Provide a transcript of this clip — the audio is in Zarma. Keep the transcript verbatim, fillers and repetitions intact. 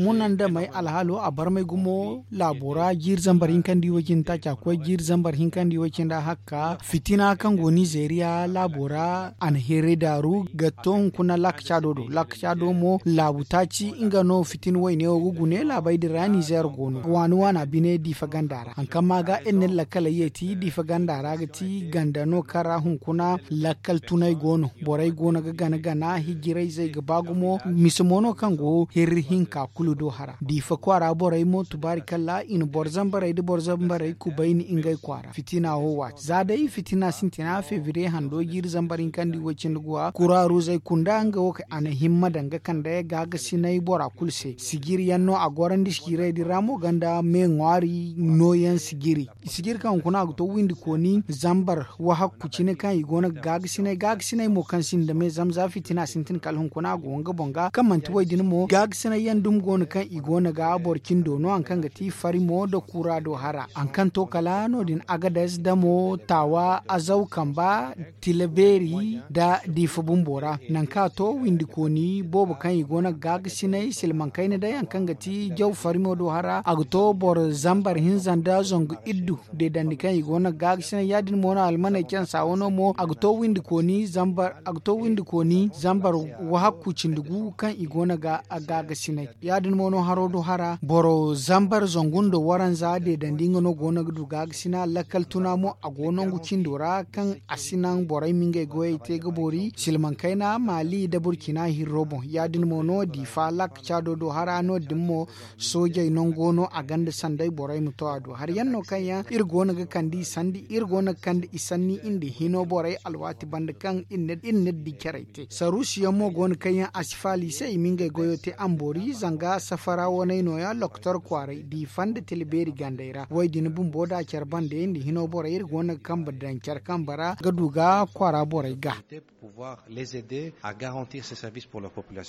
Munandamey alhaalo a barmay gumo laabo ra jiiri zambar hinkandi way-cindi taaci a koy jiiri zambar hinkandi way-cindi a hakka fitina kaŋ go nizeeriya laabo ra a na heeray daaru ga to hunkuna laakacaado do laakacaado mo laabu taaci nga no fitina wayne wo ga gune laabey din ra nizeer go no waani waana bine diifa ganda ra haŋ kaŋ ma ga iri na iri lakkaley yeeti diifa ganda ra ga ti ganda no kaŋ ra hunkuna lakkal tunay go no borey go no ga gana gana hijirayzey ga ba gumo mise mo no kaŋ go hirri hinka kulu do hara diifa kwaara borey mo tubaari kalla i na boro zambarey nda boro zambarey kubayni ngey kwaara fitina wo waati za day fitina sintina febriye hando jiiri zambar hinkandi way-cindi guwa kuraaruzey kunda nga wo a na himma daŋ ga kande gaagasinay bora kulu se sijiri yaŋ no a gorandi sijiray din ra mo ganda me ŋwaari nooyaŋ sijiri sijiri kaŋ hunkuna a ga to windi kooni zambar wahakku cine kaŋ i go no ga gaagasinay gaagasinay mo kaŋ sinda me zama za fitina sintin kala hunkuna a go nga boŋ ga kaŋ manti way din mo gaagasinay yaŋ dumi go no kaŋ i go no ga boro cindo no haŋ kaŋ ga ti farimo nda kura do hara haŋ kaŋ to kala no- din agades damo taawa azaw kamba tila beeri nda diifa bumbo ra naŋ kaŋ a to windi kooni boobo kaŋ i go no ga gaagasinay silmaŋ kayna day haŋ kaŋ ga ti jaw farimo do hara a ga to boro zambar hinza nda zangu iddu deedandi kaŋ i go no ga gaagasinay ya- din mo no almaney cansa wano mo a ga to windi kooni zambar a ga to windi kooni zambar wahakku cindi gu kaŋ i go no ga gaagasinay ya- din mo no haro do hara boro zambar zangu nda waranza deedandi nga no go no ga du gaagasinay lakkal tuna mo a go nangu cindo ra kaŋ a si naŋ borey ma ngey goyey te ga boori silmaŋ kayna maali nda burkina hirro boŋ ya- din mo no diifa laakacaado do hara no- din mo soojey nango no a gonda sanday borey ma to a do hari yaŋ no kaŋ yaŋ iri go no ga kande i sanni iri go no ga kande i sanni nda hino borey alwaati banda kaŋ iri na di carey te saruusi yaŋ mo go no kaŋ yaŋ a si faali i se i ma ngey goyo te a ma boori zanga safara waney nooya lokotor kwaaray diifa nda tila beeri gandey ra way- din bumbo da care bande nda hino borey iri go no ga kambe daŋ care kambe ra ga du ga kwaara borey ga pouvoir les aider à garantir ces services pour leur population.